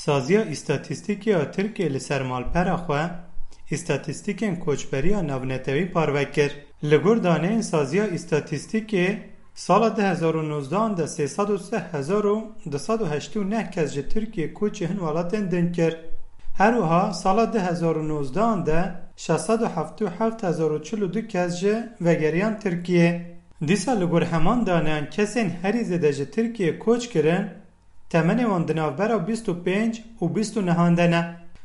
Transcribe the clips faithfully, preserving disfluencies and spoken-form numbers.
Saziya Îstatîstîkê ya Tirkiyê li ser malpera xwe îstatîstîkên koçberiya navnetewî parve kir. Li gor daneyên Saziya Îstatîstîkê, sala du hezar û nozdehan de sê sed û sih hezar û du sed û heştê û neh kes ji Tirkiyê koçî hin welatên din kir. Her wiha sala du hezar û nozdehan de şeş sed û heftê û heft hezar û çil û du kes jî vegeriyan Tirkiyê. Dîsa li gor heman daneyan kesên herî zêde ji Tirkiyê koç kirin, temenê wan di navbera bîst û pênc û bîst û nehan de ne.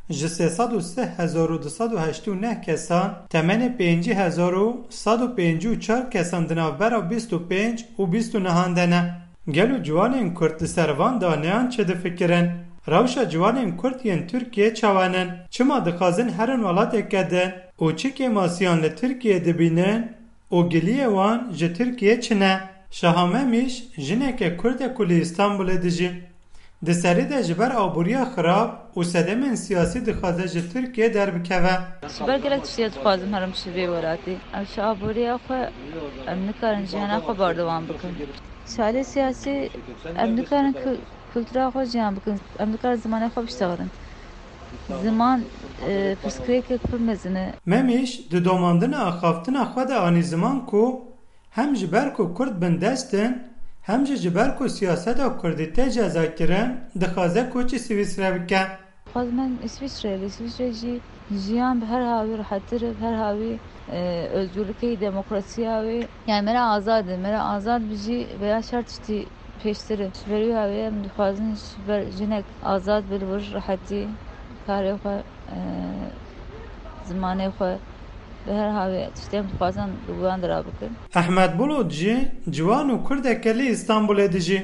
Ji sê sed û sih hezar û du sed û heştê û neh kesan temenê pêncî hezar û sed û pêncî û çar kesan di navbera bîst û pênc û bîst û nehan de ne. Gelo ciwanên Kurd li ser van daneyan çi difikirin? Rewşa ciwanên Kurd yên Tirkiyê çawa nin? Çima dixwazin herin welateke din? Û çi kêmasiyan li Tirkiyê dibînin? Û giliyê wan ji Tirkiyê çi ne? Şaha Memîş jineke Kurd e ku li Îstanbulê dijî. Di serî de ji ber aboriya xirab û sedemên siyasî dixwaze ji Tirkiyê derbikeve. Ji ber gelek tiştê dixwazim herim ji vê welatê. Em ji aboriya xwe, em nikarin jiyana xwe berdewam bikin. Ji alî siyasî em nikarin ku-, kultura xwe jiyan bikin. Em nikarin zimanê xwe biştexilin. Ziman, e, pirsgirêkek pir mezin e. Memîş di domandina axaftina xwe de anî ziman ku hem ji ber ku Kurd bindest in, hem jî ji ber ku siyaseta Kurdî tê cezakirin, dixwaze koçî Swîsrê bike. Xwazim Îsviçre, li Îsviçre jî jiyan bi her hawî rehettir e, bi her hawî, e, özgürlükê, demokrasiya wê. Yani me re azad e, me re azad bijî veya şer tiştî pêştir e. Ji ber wî hawî em dixwazin ji ber jinek azad bi li wir rehetî karê xwe, e, zimanê xwe, bi her hawî tiştê em dixwazin li wan dira bikin. Ehmed Bulut jî ciwan û Kurdeke li Îstanbulê dijî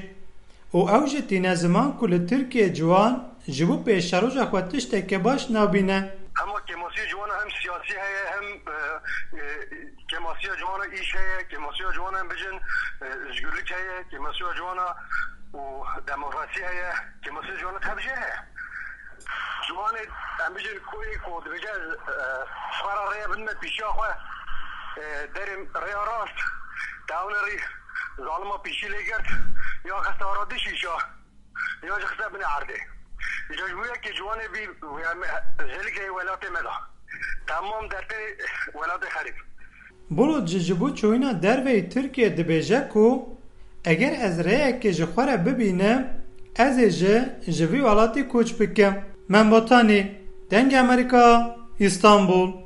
û ew jî tîne ziman ku li Tirkiyê ciwan ji bo pêşeroja xwe tişteke baş nabîne. Hema kêmasiya ciwana hem siyasî heye, hem, e, e, kêmasiya ciwana îş heye, kêmasiya ciwana em bijin, e, özgürlük heye, kêmasiya ciwana û demokrasî heye, kêmasiya ciwana tevcê heye. Ciwanê em bijin koyê ku dibêje ez, e, xwe re rêye bidime pîşiya xwe, e, derê rêya rast, te ew nerî zalima pîşî lê girt, ya xiste ara dişîşa. Ya jî xiste binê erdê. Îca ji bo yekê ciwanê bî, em, jelikê welatê me da. Temam dertê welatê xerîb. Bulut jî ji bo çûyîna derveyî Tirkiyê dibêje ku eger ez rêyekê ji xwe re bibînim, ez ê jî ji vî welatî koç bikim. Membotanî, Dengê Amerîka, Îstanbul.